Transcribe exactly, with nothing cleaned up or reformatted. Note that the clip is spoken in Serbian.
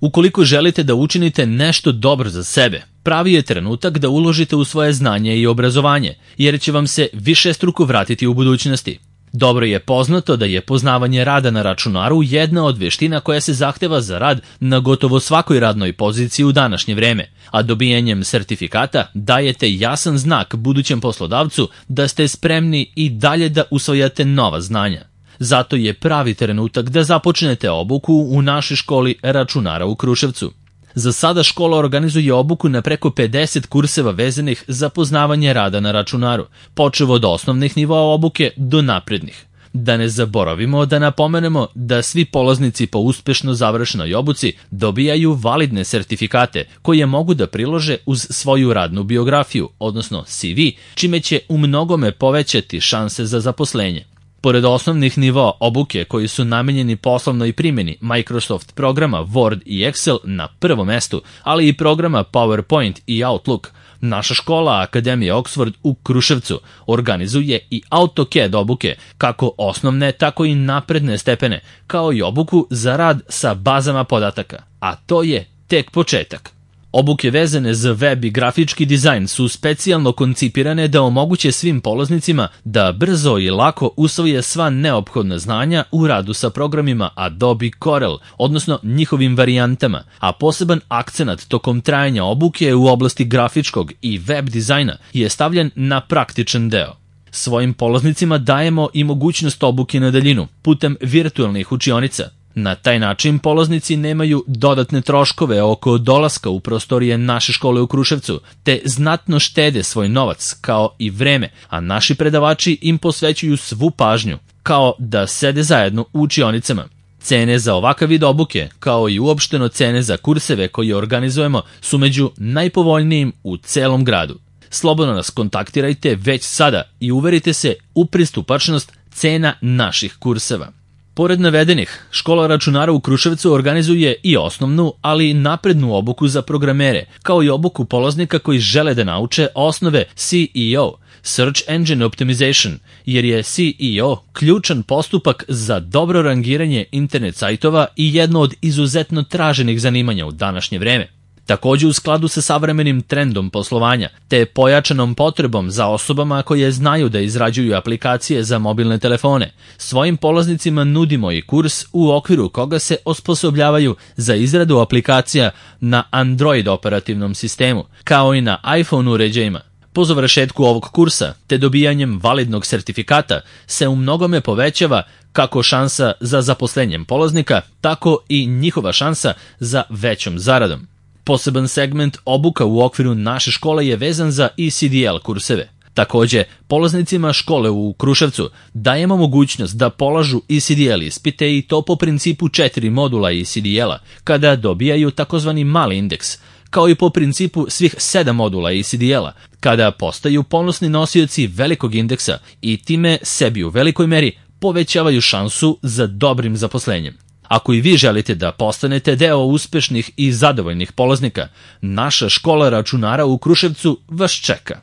Ukoliko želite da učinite nešto dobro za sebe, pravi je trenutak da uložite u svoje znanje i obrazovanje, jer će vam se višestruko vratiti u budućnosti. Dobro je poznato da je poznavanje rada na računaru jedna od veština koja se zahteva za rad na gotovo svakoj radnoj poziciji u današnje vreme, a dobijanjem sertifikata dajete jasan znak budućem poslodavcu da ste spremni i dalje da usvajate nova znanja. Zato je pravi trenutak da započnete obuku u našoj školi računara u Kruševcu. Za sada škola organizuje obuku na preko pedeset kurseva vezanih za poznavanje rada na računaru, počev od osnovnih nivoa obuke do naprednih. Da ne zaboravimo da napomenemo da svi polaznici po uspešno završenoj obuci dobijaju validne sertifikate koje mogu da prilože uz svoju radnu biografiju, odnosno C V, čime će u mnogome povećati šanse za zaposlenje. Pored osnovnih nivoa obuke koji su namenjeni poslovnoj primjeni Microsoft programa Word i Excel na prvom mestu, ali i programa PowerPoint i Outlook, naša škola Akademija Oxford u Kruševcu organizuje i AutoCAD obuke, kako osnovne, tako i napredne stepene, kao i obuku za rad sa bazama podataka, a to je tek početak. Obuke vezane za web i grafički dizajn su specijalno koncipirane da omoguće svim polaznicima da brzo i lako usvoje sva neophodna znanja u radu sa programima Adobe Corel, odnosno njihovim varijantama, a poseban akcenat tokom trajanja obuke u oblasti grafičkog i web dizajna je stavljen na praktičan deo. Svojim polaznicima dajemo i mogućnost obuke na daljinu putem virtualnih učionica. Na taj način polaznici nemaju dodatne troškove oko dolaska u prostorije naše škole u Kruševcu, te znatno štede svoj novac kao i vreme, a naši predavači im posvećuju svu pažnju, kao da sede zajedno u učionicama. Cene za ovakav vid obuke, kao i uopšteno cene za kurseve koje organizujemo, su među najpovoljnijim u celom gradu. Slobodno nas kontaktirajte već sada i uverite se u pristupačnost cena naših kurseva. Pored navedenih, škola računara u Kruševcu organizuje i osnovnu, ali i naprednu obuku za programere, kao i obuku polaznika koji žele da nauče osnove C E O, Search Engine Optimization, jer je C E O ključan postupak za dobro rangiranje internet sajtova i jedno od izuzetno traženih zanimanja u današnje vreme. Takođe u skladu sa savremenim trendom poslovanja, te pojačanom potrebom za osobama koje znaju da izrađuju aplikacije za mobilne telefone, svojim polaznicima nudimo i kurs u okviru koga se osposobljavaju za izradu aplikacija na Android operativnom sistemu, kao i na iPhone uređajima. Po završetku ovog kursa, te dobijanjem validnog sertifikata, se u mnogome povećava kako šansa za zaposlenjem polaznika, tako i njihova šansa za većom zaradom. Poseban segment obuka u okviru naše škole je vezan za E C D L kurseve. Takođe, polaznicima škole u Kruševcu dajemo mogućnost da polažu E C D L ispite i to po principu četiri modula E C D L-a, kada dobijaju takozvani mali indeks, kao i po principu svih sedam modula E C D L-a, kada postaju ponosni nosioci velikog indeksa i time sebi u velikoj meri povećavaju šansu za dobrim zaposlenjem. Ako i vi želite da postanete deo uspešnih i zadovoljnih polaznika, naša škola računara u Kruševcu vas čeka.